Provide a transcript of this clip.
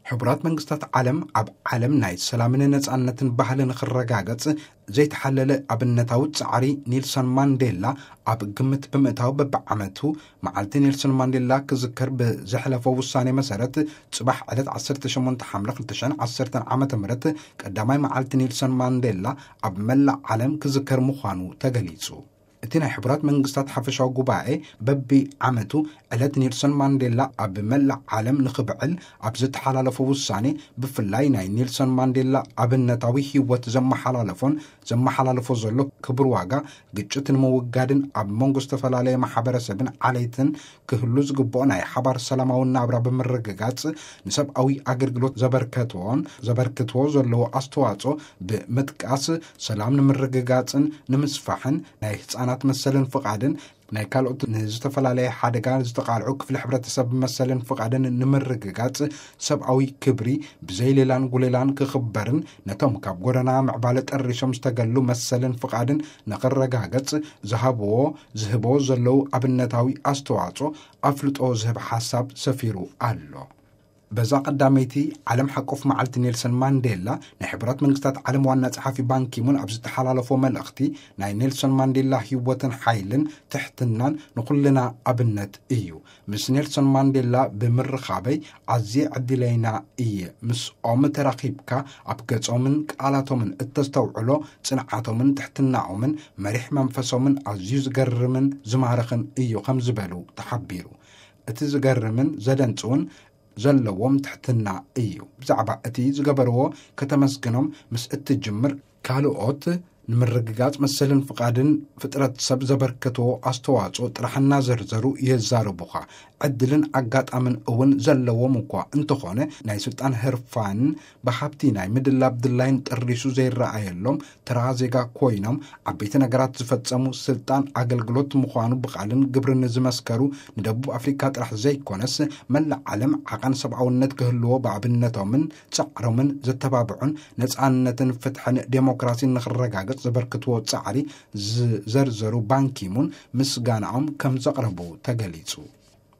ሕቡራት መንግስታት ዓለም ኣብ ዓለም ናይ ሰላምን ነጻነትን ባህልን ክረጋገጽ ዘይተሓለለ ኣብነታዊ ጻዕሪ ኔልሰን ማንዴላ ኣብ ግምት ብምእታው፣ በብዓመቱ መዓልቲ ኔልሰን ማንዴላ ክዝከር ብዘሕለፎ ውሳኔ መሰረት፣ ጽባሕ ዕለት ዓሰርተ ሸሞንተ ሓምለ ክልተ ሽሕን ዓሰርተን ዓመተ ምህረት ቀዳማይ መዓልቲ ኔልሰን ማንዴላ ኣብ መላእ ዓለም ክዝከር ምዃኑ ተገሊጹ። እቲ ናይ ሕቡራት መንግስታት ሓፈሻዊ ጉባኤ በቢ ዓመቱ ዕለት ኔልሰን ማንዴላ ኣብ መላእ ዓለም ንኽብዕል ኣብ ዝተሓላለፎ ውሳኔ፣ ብፍላይ ናይ ኔልሰን ማንዴላ ኣብነታዊ ህይወት ዘመሓላለፎን ዘመሓላለፎ ዘሎ ክቡር ዋጋ፣ ግጭት ንምውጋድን ኣብ መንጎ ዝተፈላለየ ማሕበረሰብን ዓሌትን ክህሉ ዝግብኦ ናይ ሓባር ሰላማዊ ናብራ ብምርግጋጽ፣ ንሰብኣዊ ኣገልግሎት ዘበርከትዎን ዘበርክትዎ ዘለዎ ኣስተዋጽኦ ብምጥቃስ፣ ሰላም ንምርግጋጽን ንምስፋሕን፣ ናይ ህጻናት መሰልን ፍቓድን፣ ናይ ካልኦት ንዝተፈላለየ ሓደጋ ዝተቓልዑ ክፍሊ ሕብረተሰብ መሰልን ፍቓድን ንምርግጋጽ፣ ሰብኣዊ ክብሪ ብዘይ ሌላን ጉሌላን ክኽበርን፣ ነቶም ካብ ጎደና ምዕባለ ጠሪሾም ዝተገሉ መሰልን ፍቓድን ንኽረጋገጽ ዝሃብዎ፣ ዝህቦ ዘለዉ ኣብነታዊ ኣስተዋጽኦ ኣፍልጦ ዝህብ ሓሳብ ሰፊሩ ኣሎ። በዛ ቀዳመይቲ ዓለም ሓቆፍ መዓልቲ ኔልሰን ማንዴላ፣ ናይ ሕቡራት መንግስታት ዓለም ዋና ጸሓፊ ባንኪሙን ኣብ ዝተሓላለፎ መልእኽቲ፣ ናይ ኔልሰን ማንዴላ ህይወትን ሓይልን ትሕትናን ንኹልና ኣብነት እዩ። ምስ ኔልሰን ማንዴላ ብምርኻበይ ኣዝየ ዕድለይና እየ። ምስኦም ተራኺብካ ኣብ ገጾምን ቃላቶምን እተስተውዕሎ ጽንዓቶምን ትሕትናኦምን መሪሕ መንፈሶምን ኣዝዩ ዝገርምን ዝማርኽን እዩ ከም ዝበሉ ተሓቢሩ። እቲ ዝገርምን ዘደንጽውን ዘለዎም ትሕትና እዩ። ብዛዕባ እቲ ዝገበርዎ ከተመስግኖም ምስ እትጅምር፣ ካልኦት ንምርግጋጽ መሰልን ፍቓድን ፍጥረት ሰብ ዘበርከትዎ ኣስተዋጽኦ ጥራሕ እናዘርዘሩ የዛርቡኻ። ዕድልን ኣጋጣምን እውን ዘለዎም እኳ እንተኾነ፣ ናይ ስልጣን ህርፋንን ብሃብቲ ናይ ምድላብ ድላይን ጥሪሱ ዘይረኣየሎም ተራ ዜጋ ኮይኖም፣ ዓበይቲ ነገራት ዝፈጸሙ፣ ስልጣን ኣገልግሎት ምዃኑ ብቓልን ግብርን ዝመስከሩ፣ ንደቡብ ኣፍሪካ ጥራሕ ዘይኮነስ መላእ ዓለም ዓቐን ሰብኣውነት ክህልዎ ብኣብነቶምን ጻዕሮምን ዘተባብዑን፣ ነጻነትን ፍትሕን ዴሞክራሲን ንኽረጋገጽ ዘበርክትዎ ጻዕሪ ዝዘርዘሩ ባንኪሙን ምስጋናኦም ከም ዘቕረቡ ተገሊጹ።